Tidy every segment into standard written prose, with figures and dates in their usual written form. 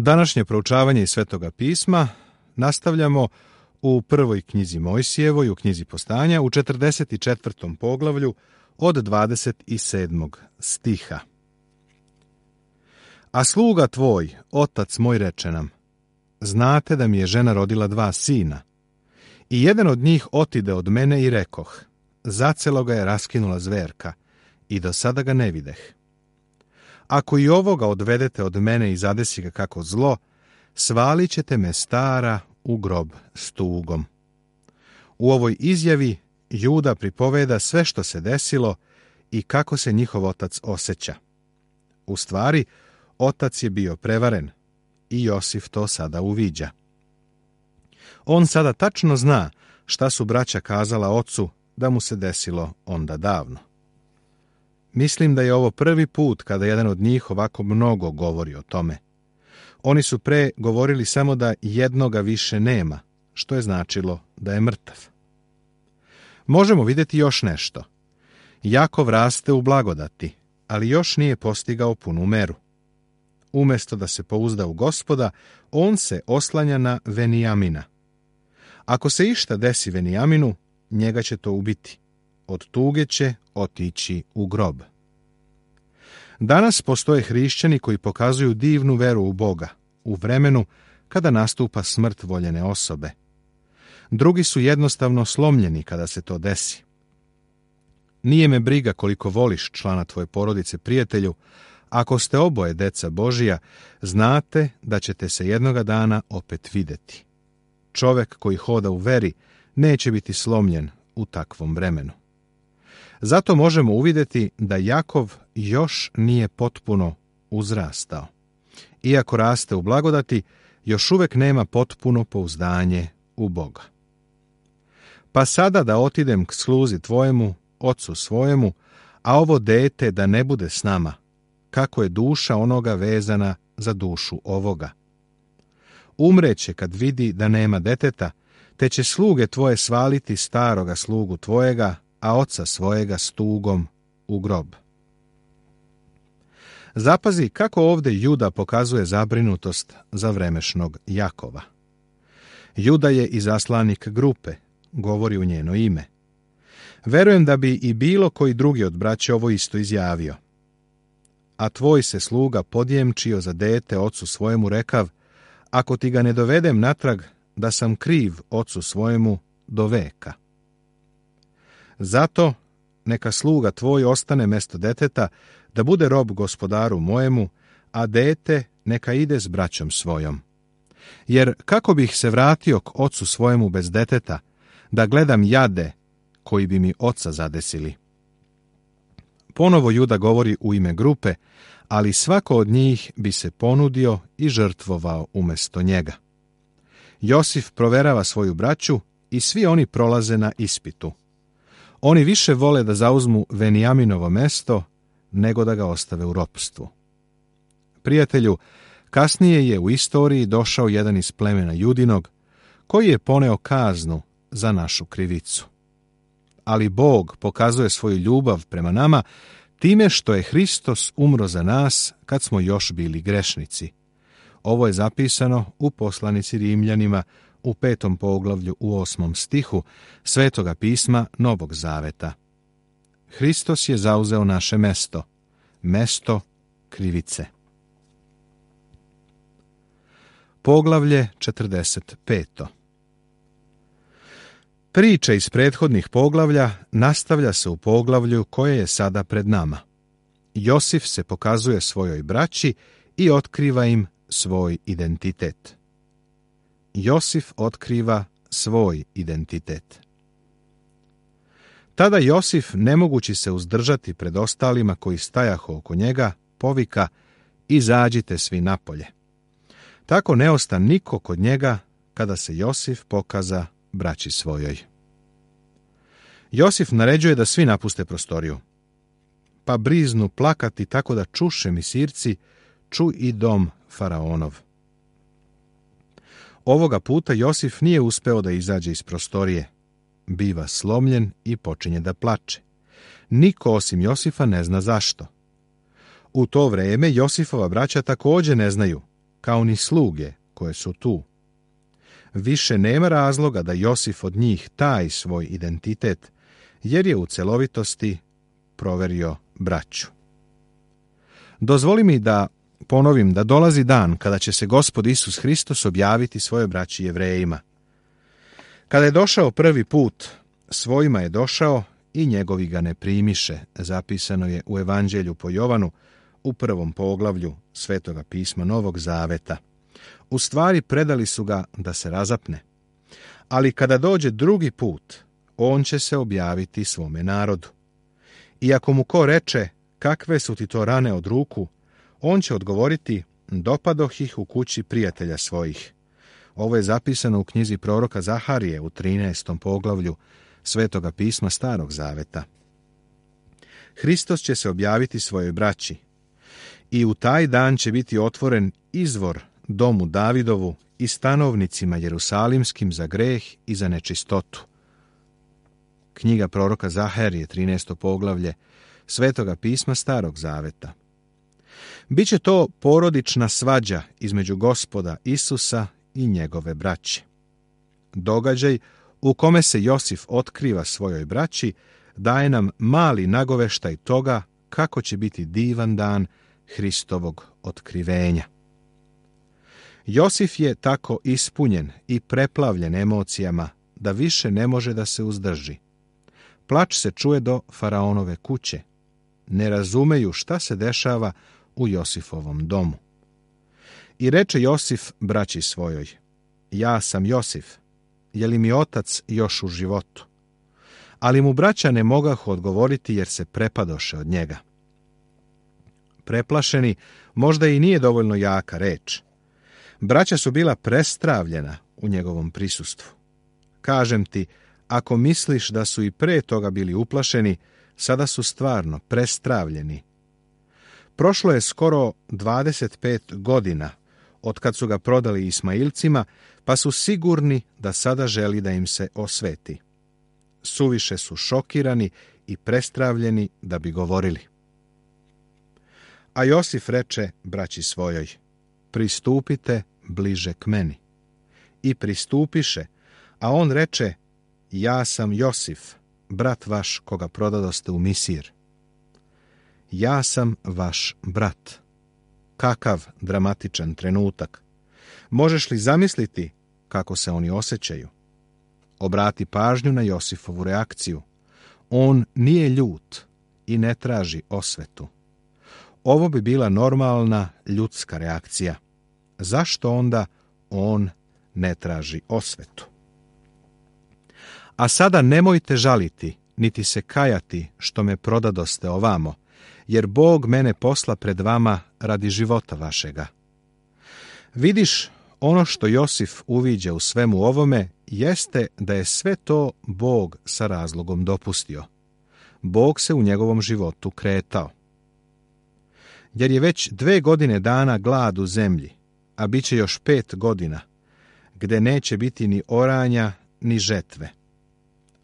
Današnje proučavanje iz Svetoga pisma nastavljamo u prvoj knjizi Mojsijevoj, u knjizi Postanja, u 44. poglavlju od 27. stiha. A sluga tvoj, otac moj, reče nam, znate da mi je žena rodila 2 sina, i jedan od njih otide od mene i rekoh, zacelo ga je raskinula zverka, i do sada ga ne videh. Ako i ovoga odvedete od mene i zadesi ga kako zlo, svalit ćete me stara u grob s tugom. U ovoj izjavi Juda pripoveda sve što se desilo i kako se njihov otac osjeća. U stvari, otac je bio prevaren i Josif to sada uviđa. On sada tačno zna šta su braća kazala ocu da mu se desilo onda davno. Mislim da je ovo prvi put kada jedan od njih ovako mnogo govori o tome. Oni su pre govorili samo da jednoga više nema, što je značilo da je mrtav. Možemo vidjeti još nešto. Jakov raste u blagodati, ali još nije postigao punu meru. Umjesto da se pouzda u Gospoda, on se oslanja na Venijamina. Ako se išta desi Venijaminu, njega će to ubiti. Od tuge će otići u grob. Danas postoje hrišćani koji pokazuju divnu veru u Boga, u vremenu kada nastupa smrt voljene osobe. Drugi su jednostavno slomljeni kada se to desi. Nije me briga koliko voliš člana tvoje porodice, prijatelju, ako ste oboje deca Božija, znate da ćete se jednoga dana opet vidjeti. Čovjek koji hoda u veri neće biti slomljen u takvom vremenu. Zato možemo uvidjeti da Jakov još nije potpuno uzrastao. Iako raste u blagodati, još uvijek nema potpuno pouzdanje u Boga. Pa sada da otidem k sluzi tvojemu, ocu svojemu, a ovo dete da ne bude s nama, kako je duša onoga vezana za dušu ovoga. Umreće kad vidi da nema deteta, te će sluge tvoje svaliti staroga slugu tvojega, a oca svojega s tugom u grob. Zapazi kako ovdje Juda pokazuje zabrinutost za vremešnog Jakova. Juda je izaslanik grupe, govori u njeno ime. Verujem da bi i bilo koji drugi od braće ovo isto izjavio. A tvoj se sluga podjemčio za dete ocu svojemu rekav, ako ti ga ne dovedem natrag, da sam kriv ocu svojemu do veka. Zato neka sluga tvoj ostane mesto deteta, da bude rob gospodaru mojemu, a dete neka ide s braćom svojom. Jer kako bih se vratio k ocu svojemu bez deteta, da gledam jade koji bi mi oca zadesili. Ponovo Juda govori u ime grupe, ali svako od njih bi se ponudio i žrtvovao umjesto njega. Josif proverava svoju braću i svi oni prolaze na ispitu. Oni više vole da zauzmu Venijaminovo mesto, nego da ga ostave u ropstvu. Prijatelju, kasnije je u istoriji došao jedan iz plemena Judinog, koji je poneo kaznu za našu krivicu. Ali Bog pokazuje svoju ljubav prema nama time što je Hristos umro za nas kad smo još bili grešnici. Ovo je zapisano u poslanici Rimljanima u 5. poglavlju u 8. stihu Svetoga pisma Novog Zaveta. Hristos je zauzeo naše mesto, mesto krivice. Poglavlje 45. Priča iz prethodnih poglavlja nastavlja se u poglavlju koje je sada pred nama. Josif se pokazuje svojoj braći i otkriva im svoj identitet. Josif otkriva svoj identitet. Tada Josif, ne mogući se uzdržati pred ostalima koji stajahu oko njega, povika: izađite svi napolje. Tako ne osta niko kod njega kada se Josif pokaza braći svojoj. Josif naređuje da svi napuste prostoriju. Pa briznu plakati tako da čuše misirci, ču i dom faraonov. Ovoga puta Josif nije uspeo da izađe iz prostorije. Biva slomljen i počinje da plače. Niko osim Josifa ne zna zašto. U to vrijeme Josifova braća također ne znaju, kao ni sluge koje su tu. Više nema razloga da Josif od njih taji svoj identitet, jer je u celovitosti proverio braću. Dozvoli mi da ponovim da dolazi dan kada će se Gospod Isus Hristos objaviti svojoj braći Jevrejima. Kada je došao prvi put, svojima je došao i njegovi ga ne primiše, zapisano je u Evanđelju po Jovanu u 1. poglavlju Svetoga pisma Novog Zaveta. U stvari predali su ga da se razapne. Ali kada dođe drugi put, on će se objaviti svome narodu. I ako mu ko reče, kakve su ti to rane od ruku, on će odgovoriti, dopadoh ih u kući prijatelja svojih. Ovo je zapisano u knjizi proroka Zaharije u 13. poglavlju Svetoga pisma Starog Zaveta. Hristos će se objaviti svojoj braći i u taj dan će biti otvoren izvor domu Davidovu i stanovnicima jerusalimskim za greh i za nečistotu. Knjiga proroka Zaharije, 13. poglavlje Svetoga pisma Starog Zaveta. Biće to porodična svađa između Gospoda Isusa i njegove braće. Događaj u kome se Josif otkriva svojoj braći daje nam mali nagoveštaj toga kako će biti divan dan Hristovog otkrivenja. Josif je tako ispunjen i preplavljen emocijama da više ne može da se uzdrži. Plač se čuje do faraonove kuće. Ne razumeju šta se dešava u Josifovom domu. I reče Josif braći svojoj, ja sam Josif, je li mi otac još u životu? Ali mu braća ne mogahu odgovoriti jer se prepadoše od njega. Preplašeni možda i nije dovoljno jaka reč. Braća su bila prestravljena u njegovom prisustvu. Kažem ti, ako misliš da su i pre toga bili uplašeni, sada su stvarno prestravljeni. Prošlo je skoro 25 godina od kad su ga prodali Ismailcima, pa su sigurni da sada želi da im se osveti. Suviše su šokirani i prestravljeni da bi govorili. A Josif reče braći svojoj, pristupite bliže k meni. I pristupiše, a on reče, ja sam Josif, brat vaš koga prodadoste u Misir. Ja sam vaš brat. Kakav dramatičan trenutak. Možeš li zamisliti kako se oni osjećaju? Obrati pažnju na Josifovu reakciju. On nije ljut i ne traži osvetu. Ovo bi bila normalna ljudska reakcija. Zašto onda on ne traži osvetu? A sada nemojte žaliti, niti se kajati što me prodadoste ovamo, jer Bog mene posla pred vama radi života vašega. Vidiš, ono što Josif uviđa u svemu ovome jeste da je sve to Bog sa razlogom dopustio. Bog se u njegovom životu kretao. Jer je već 2 godine dana glad u zemlji, a bit će još 5 godina, gde neće biti ni oranja, ni žetve.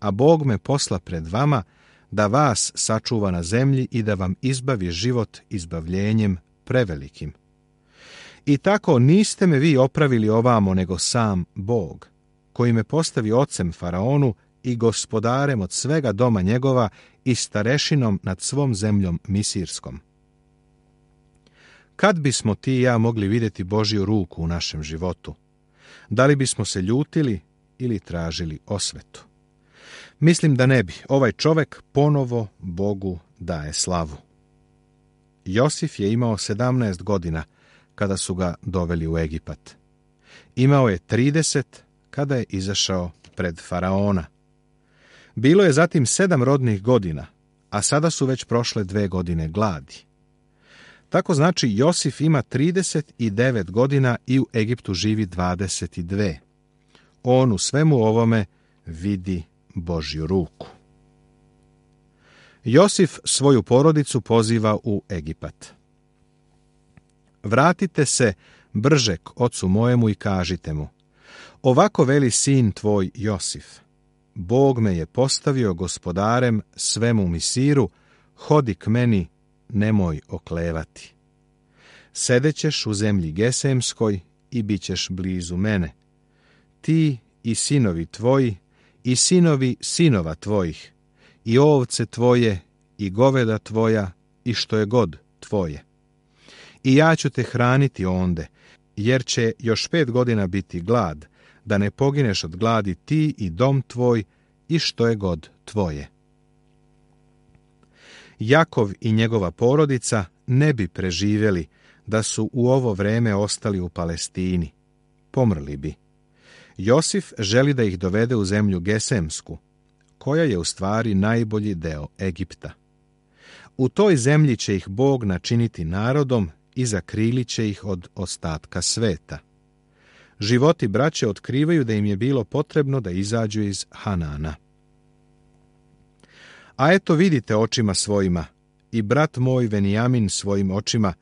A Bog me posla pred vama da vas sačuva na zemlji i da vam izbavi život izbavljenjem prevelikim. I tako niste me vi opravili ovamo, nego sam Bog, koji me postavi ocem faraonu i gospodarem od svega doma njegova i starešinom nad svom zemljom misirskom. Kad bismo ti i ja mogli vidjeti Božju ruku u našem životu? Da li bismo se ljutili ili tražili osvetu? Mislim da ne bi. Ovaj čovek ponovo Bogu daje slavu. Josif je imao 17 godina kada su ga doveli u Egipat. Imao je 30 kada je izašao pred faraona. Bilo je zatim 7 rodnih godina, a sada su već prošle 2 godine gladi. Tako znači Josif ima 39 godina i u Egiptu živi 22. On u svemu ovome vidi Božju ruku. Josif svoju porodicu poziva u Egipat. Vratite se brže k ocu mojemu i kažite mu, ovako veli sin tvoj Josif, Bog me je postavio gospodarem svemu Misiru, hodi k meni, nemoj oklevati. Sedećeš u zemlji Gesemskoj i bit ćeš blizu mene. Ti i sinovi tvoji i sinovi sinova tvojih, i ovce tvoje i goveda tvoja i što je god tvoje. I ja ću te hraniti onde, jer će još 5 godina biti glad, da ne pogineš od gladi ti i dom tvoj i što je god tvoje. Jakov i njegova porodica ne bi preživjeli da su u ovo vreme ostali u Palestini. Pomrli bi. Josif želi da ih dovede u zemlju Gesemsku, koja je u stvari najbolji deo Egipta. U toj zemlji će ih Bog načiniti narodom i zakrilit će ih od ostatka sveta. Životi braće otkrivaju da im je bilo potrebno da izađu iz Hanana. A eto vidite očima svojima, i brat moj Venijamin svojim očima,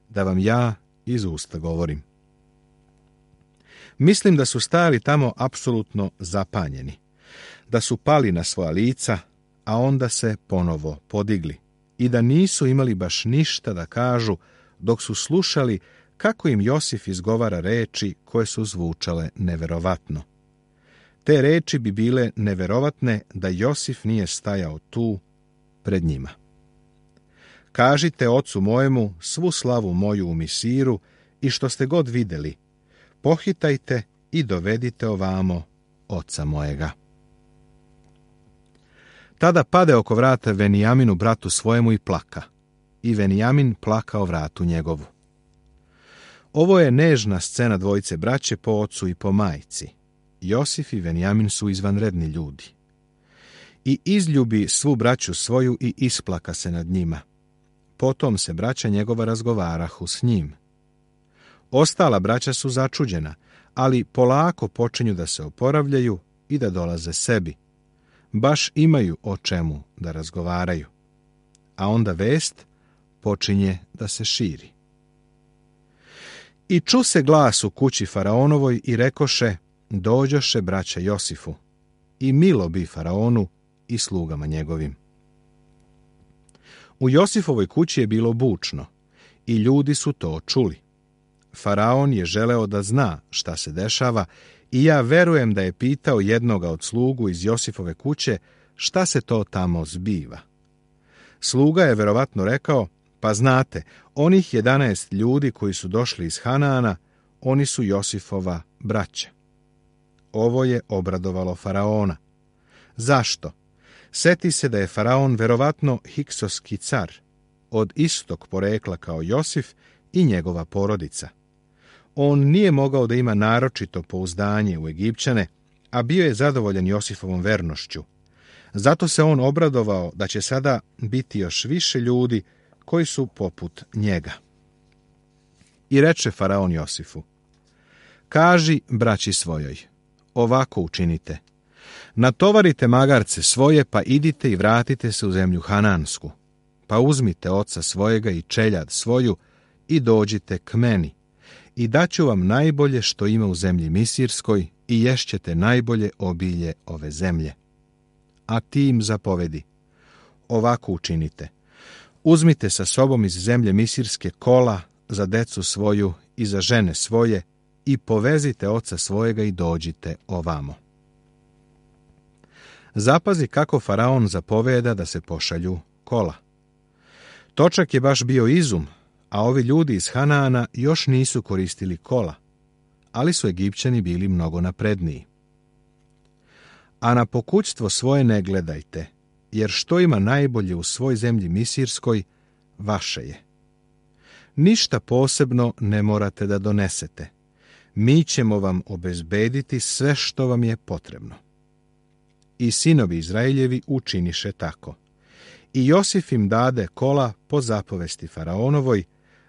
da vam ja iz usta govorim. Mislim da su stajali tamo apsolutno zapanjeni, da su pali na svoja lica, a onda se ponovo podigli, i da nisu imali baš ništa da kažu dok su slušali kako im Josif izgovara reči koje su zvučale neverovatno. Te reči bi bile neverovatne da Josif nije stajao tu pred njima. Kažite ocu mojemu svu slavu moju u Misiru i što ste god vidjeli, pohitajte i dovedite ovamo oca mojega. Tada pade oko vrata Venijaminu bratu svojemu i plaka, i Venijamin plakao vratu njegovu. Ovo je nežna scena dvojice braće po ocu i po majci. Josif i Venijamin su izvanredni ljudi. I izljubi svu braću svoju i isplaka se nad njima. Potom se braća njegova razgovarahu s njim. Ostala braća su začuđena, ali polako počinju da se oporavljaju i da dolaze sebi. Baš imaju o čemu da razgovaraju. A onda vest počinje da se širi. I ču se glas u kući Faraonovoj i rekoše, dođoše braća Josifu, i milo bi Faraonu i slugama njegovim. U Josifovoj kući je bilo bučno, i ljudi su to čuli. Faraon je želeo da zna šta se dešava, i ja verujem da je pitao jednoga od slugu iz Josifove kuće šta se to tamo zbiva. Sluga je verovatno rekao, pa znate, onih 11 ljudi koji su došli iz Hanana, oni su Josifova braća. Ovo je obradovalo Faraona. Zašto? Seti se da je Faraon verovatno hiksoski car, od istog porekla kao Josif i njegova porodica. On nije mogao da ima naročito pouzdanje u Egipćane, a bio je zadovoljan Josifovom vernošću. Zato se on obradovao da će sada biti još više ljudi koji su poput njega. I reče Faraon Josifu, kaži braći svojoj, ovako učinite, natovarite magarce svoje, pa idite i vratite se u zemlju Hanansku, pa uzmite oca svojega i čeljad svoju i dođite k meni, i daću vam najbolje što ima u zemlji Misirskoj i ješćete najbolje obilje ove zemlje. A ti im zapovedi, ovako učinite, uzmite sa sobom iz zemlje Misirske kola za decu svoju i za žene svoje i povezite oca svojega i dođite ovamo. Zapazi kako Faraon zapoveda da se pošalju kola. Točak je baš bio izum, a ovi ljudi iz Hanana još nisu koristili kola, ali su Egipćani bili mnogo napredniji. A na pokućstvo svoje ne gledajte, jer što ima najbolje u svoj zemlji Misirskoj, vaše je. Ništa posebno ne morate da donesete. Mi ćemo vam obezbediti sve što vam je potrebno. I sinovi Izraeljevi učiniše tako. I Josif im dade kola po zapovesti Faraonovoj,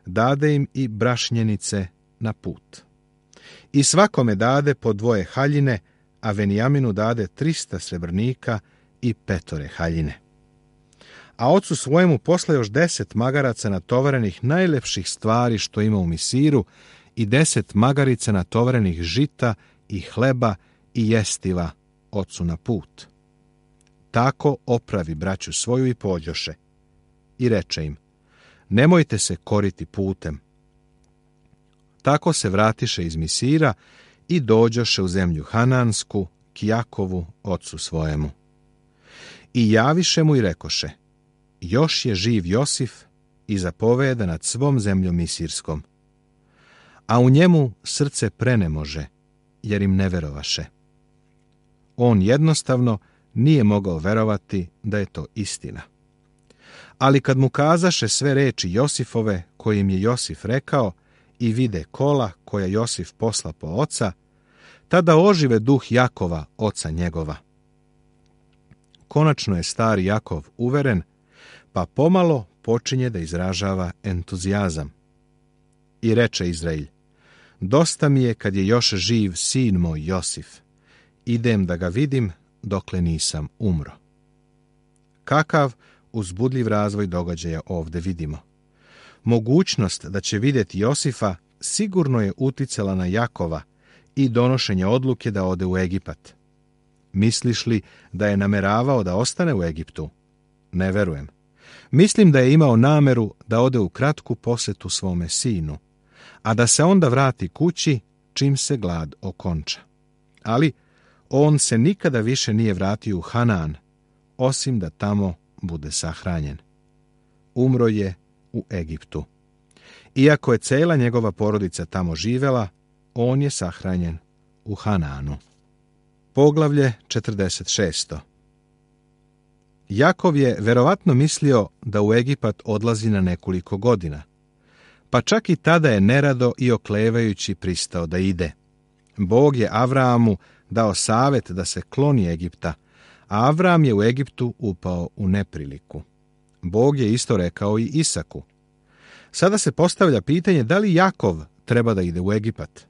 dade im i brašnjenice na put. I svakome dade po 2 haljine, a Venijaminu dade 300 srebrnika i 5 haljine. A ocu svojemu posla još 10 magaraca natovarenih najlepših stvari što ima u Misiru i 10 magarica natovarenih žita i hleba i jestiva ocu na put. Tako opravi braću svoju i pođoše. I reče im, nemojte se koriti putem, Tako se vratiše iz Misira i dođoše u zemlju Hanansku, k Jakovu, ocu svojemu. I javiše mu i rekoše, još je živ Josif i zapoveda nad svom zemljom Misirskom. A u njemu srce prenemože, jer im ne verovaše. On jednostavno nije mogao verovati da je to istina. Ali kad mu kazaše sve reči Josifove koje im je Josif rekao i vide kola koja Josif posla po oca, tada ožive duh Jakova, oca njegova. Konačno je stari Jakov uveren, pa pomalo počinje da izražava entuzijazam. I reče Izrailj, dosta mi je kad je još živ sin moj Josif, idem da ga vidim dokle nisam umro. Kakav uzbudljiv razvoj događaja ovdje vidimo. Mogućnost da će vidjeti Josifa sigurno je uticala na Jakova i donošenje odluke da ode u Egipat. Misliš li da je nameravao da ostane u Egiptu? Ne verujem. Mislim da je imao nameru da ode u kratku posjetu svome sinu, a da se onda vrati kući čim se glad okonča. Ali on se nikada više nije vratio u Hanaan, osim da tamo bude sahranjen. Umro je u Egiptu. Iako je cela njegova porodica tamo živela, on je sahranjen u Hanaanu. Poglavlje 46. Jakov je verovatno mislio da u Egipat odlazi na nekoliko godina, pa čak i tada je nerado i oklevajući pristao da ide. Bog je Avraamu dao savjet da se kloni Egipta, a Avram je u Egiptu upao u nepriliku. Bog je isto rekao i Isaku. Sada se postavlja pitanje da li Jakov treba da ide u Egipat.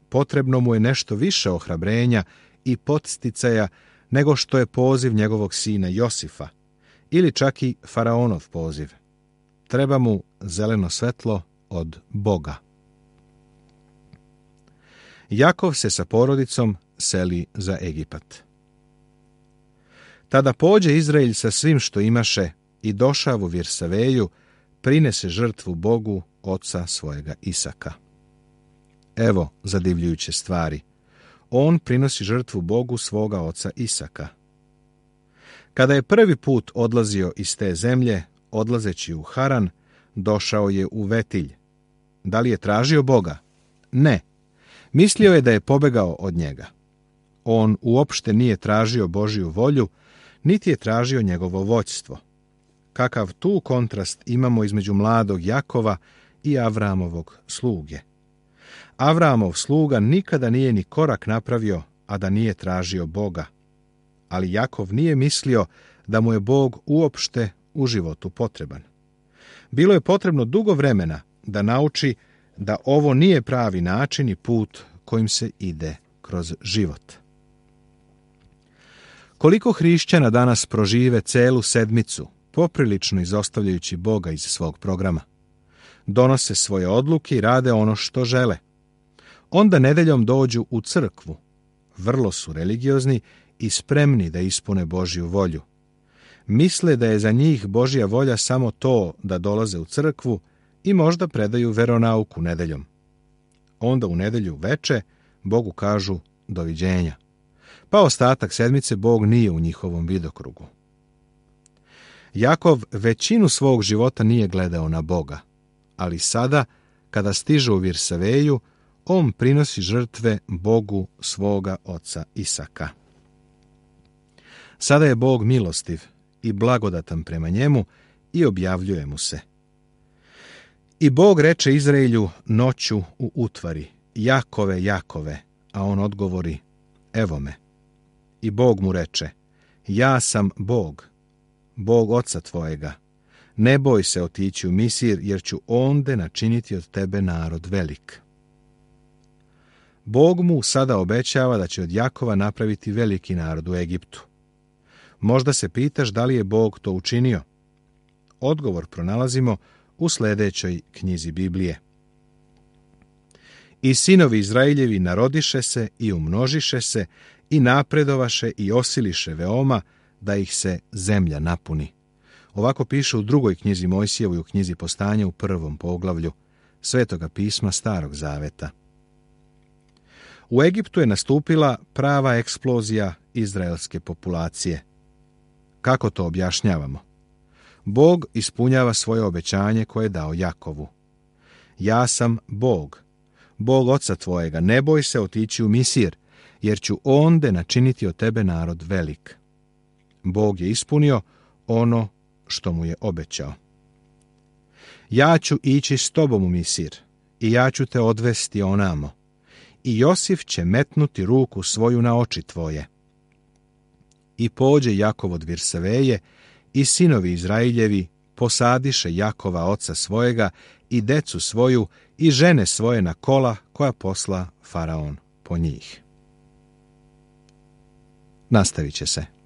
Potrebno mu je nešto više ohrabrenja i podsticaja nego što je poziv njegovog sina Josifa, ili čak i faraonov poziv. Treba mu zeleno svetlo od Boga. Jakov se sa porodicom seli za Egipat. Tada pođe Izraelj sa svim što imaše i došav u Virsaveju, prinese žrtvu Bogu oca svojega Isaka. Evo zadivljujuće stvari. On prinosi žrtvu Bogu svoga oca Isaka. Kada je prvi put odlazio iz te zemlje, odlazeći u Haran, došao je u Vetilj. Da li je tražio Boga? Ne. Mislio je da je pobegao od njega. On uopšte nije tražio Božju volju, niti je tražio njegovo vođstvo. Kakav tu kontrast imamo između mladog Jakova i Avramovog sluge. Avramov sluga nikada nije ni korak napravio, a da nije tražio Boga. Ali Jakov nije mislio da mu je Bog uopšte u životu potreban. Bilo je potrebno dugo vremena da nauči da ovo nije pravi način i put kojim se ide kroz život. Koliko hrišćana danas prožive celu sedmicu, poprilično izostavljajući Boga iz svog programa. Donose svoje odluke i rade ono što žele. Onda nedeljom dođu u crkvu. Vrlo su religiozni i spremni da ispune Božju volju. Misle da je za njih Božja volja samo to da dolaze u crkvu i možda predaju veronauku nedeljom. Onda u nedelju veče Bogu kažu doviđenja. Pa ostatak sedmice Bog nije u njihovom vidokrugu. Jakov većinu svog života nije gledao na Boga, ali sada, kada stiže u Virsaveju, on prinosi žrtve Bogu svoga oca Isaka. Sada je Bog milostiv i blagodatan prema njemu i objavljuje mu se. I Bog reče Izraelju noću u utvari, Jakove, Jakove, a on odgovori, evo me. I Bog mu reče, ja sam Bog, Bog oca tvojega. Ne boj se otići u Misir, jer ću onde načiniti od tebe narod velik. Bog mu sada obećava da će od Jakova napraviti veliki narod u Egiptu. Možda se pitaš da li je Bog to učinio? Odgovor pronalazimo u sljedećoj knjizi Biblije. I sinovi Izraeljevi narodiše se i umnožiše se i napredovaše i osiliše veoma, da ih se zemlja napuni. Ovako piše u drugoj knjizi Mojsijevoj, u knjizi Postanja u 1. poglavlju, Svetoga pisma Starog zaveta. U Egiptu je nastupila prava eksplozija izraelske populacije. Kako to objašnjavamo? Bog ispunjava svoje obećanje koje je dao Jakovu. Ja sam Bog, Bog oca tvojega, ne boj se otići u Misir, jer ću onde načiniti od tebe narod velik. Bog je ispunio ono što mu je obećao. Ja ću ići s tobom u Misir i ja ću te odvesti onamo. I Josif će metnuti ruku svoju na oči tvoje. I pođe Jakov od Virseveje i sinovi Izrailjevi posadiše Jakova oca svojega i decu svoju i žene svoje na kola koja posla Faraon po njih. Nastavit će se.